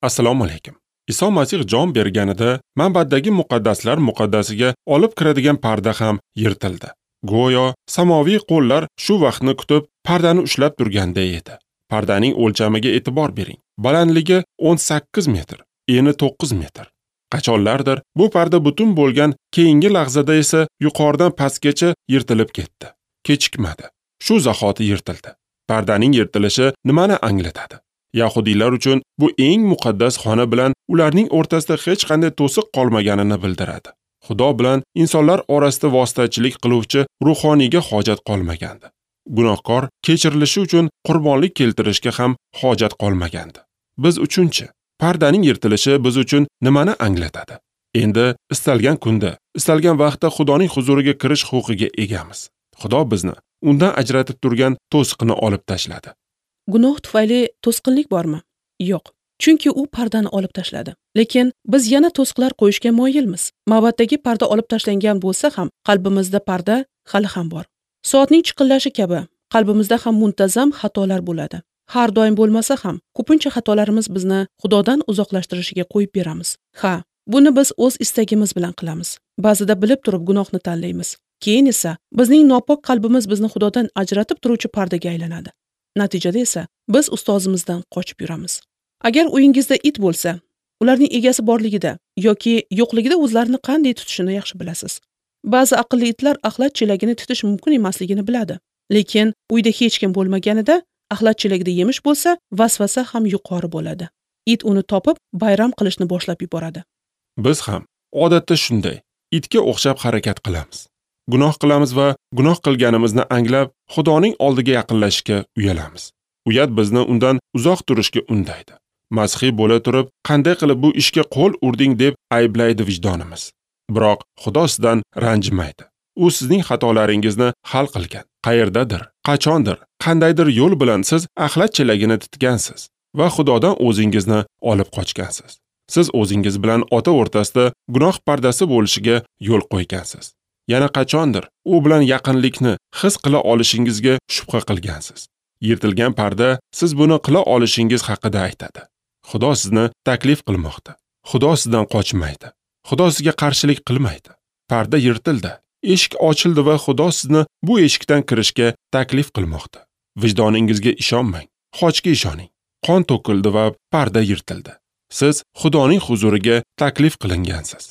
Assalomu alaykum. Iso Masih jon berganida ma'baddagi muqaddaslar muqaddasiga olib kiradigan parda ham yirtildi. Go'yo samoviy qo'llar shu vaqtni kutib pardani ushlab turganday edi. Pardaning o'lchamiga e'tibor bering. Balandligi 18 metr, eni 9 metr. Qachonlardir bu parda butun bo'lgan, keyingi lahzada esa yuqoridan pastgacha yirtilib ketdi. Kechikmadi. Shu zahoti yirtildi. Pardaning yirtilishi nimani anglatadi? Yahudiylar uchun bu eng muqaddas xona bilan ularning o'rtasida hech qanday to'siq qolmaganini bildiradi. Xudo bilan insonlar orasida vositachilik qiluvchi ruhoniyga hojat qolmagandi. Gunohkor kechirilishi uchun qurbonlik keltirishga ham hojat qolmagandi. Biz uchunchi, pardaning yirtilishi biz uchun nimani anglatadi? Endi istalgan kunda, istalgan vaqtda Xudoning huzuriga kirish huquqiga egamiz. Xudo bizni undan ajratib turgan to'siqni olib tashladi. Gunoh tufayli to'sqinlik bormi? Yo'q. Chunki u pardani olib tashladi. Lekin biz yana to'siqlar qo'yishga moyilmiz. Ma'baddagi parda olib tashlangan bo'lsa ham, qalbimizda parda hali ham bor. Soatning chiqillashi kabi qalbimizda ham muntazam xatolar bo'ladi. Har doim bo'lmasa ham, ko'pincha xatolarimiz bizni Xudodan uzoqlashtirishiga qo'yib beramiz. Ha, buni biz o'z istagimiz bilan qilamiz. Ba'zida bilib turib gunohni tanlaymiz. Keyin esa bizning nopok qalbimiz bizni Xudodan ajratib turuvchi pardaga aylanadi. Natijada esa biz ustozimizdan qochib yuramiz. Agar uyingizda it bo'lsa, ularning egasi borligida yoki yo'qligida o'zlarini qanday tutishini yaxshi bilasiz. Ba'zi aqlli itlar axlat chelagini tutish mumkin emasligini biladi. Lekin uyda hech kim bo'lmaganida axlat chelagida yemish bo'lsa, vasvasa ham yuqori bo'ladi. It uni topib, bayram qilishni boshlab yuboradi. Biz ham odatda shunday itga o'xshab harakat qilamiz. Gunoh qilamiz va gunoh qilganimizni anglab, Xudoning oldiga yaqinlashishga uyalamiz. Uyat bizni undan uzoq turishga undaydi. Masihiy bo'la turib, qanday qilib bu ishga qo'l urding deb ayblaydi vijdonimiz. Biroq Xudo sizdan ranjimaydi. U sizning xatolaringizni hal qilgan. Qayerdadir, qachondir, qandaydir yo'l bilan siz axlat chelagini titgansiz va Xudodan o'zingizni olib qochgansiz. Siz o'zingiz bilan ota o'rtasida gunoh pardasi bo'lishiga yo'l qo'ygansiz. Yana qachondir u bilan yaqinlikni his qila olishingizga shubha qilgansiz. Yirtilgan parda siz buni qila olishingiz haqida aytadi. Xudo sizni taklif qilmoqda. Xudo sizdan qochmaydi. Xudo sizga qarshilik qilmaydi. Parda yirtildi, eshik ochildi va Xudo sizni bu eshikdan kirishga taklif qilmoqda. Vijdoningizga ishonmang, xochga ishoning. Qon to'kildi va parda yirtildi. Siz Xudoning huzuriga taklif qilingansiz.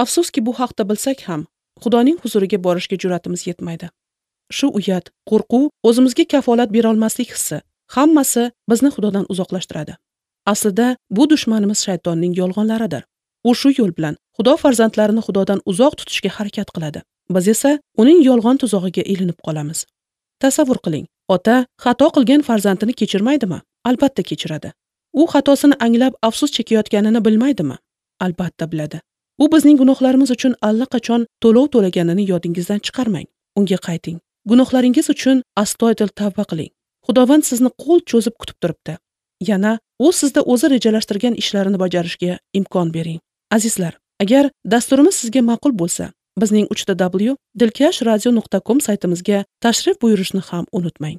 Afsuski, bu haqda bilsak ham, Xudoning huzuriga borishga jur'atimiz yetmaydi. Shu uyat, qo'rquv, o'zimizga kafolat bera olmaslik hissi hammasi bizni Xudodan uzoqlashtiradi. Aslida bu dushmanimiz shaytonning yolg'onlaridir. U shu yo'l bilan Xudo farzandlarini Xudodan uzoq tutishga harakat qiladi. Biz esa uning yolg'on tuzog'iga ilinib qolamiz. Tasavvur qiling, ota xato qilgan farzandini kechirmaydimi? Albatta kechiradi. U xatosini anglab afsus chekayotganini bilmaydimi? Albatta biladi. U bizning gunohlarimiz uchun allaqachon to'lov to'laganini yodingizdan chiqarmang. Unga qayting. Gunohlaringiz uchun astoydil tavba qiling. Xudovand sizni qo'l cho'zib kutib turibdi. Yana u sizda o'zi rejalashtirgan ishlarini bajarishga imkon bering. Azizlar, agar dasturimiz sizga ma'qul bo'lsa, bizning 3w.dilkashradio.com saytimizga tashrif buyurishni ham unutmang.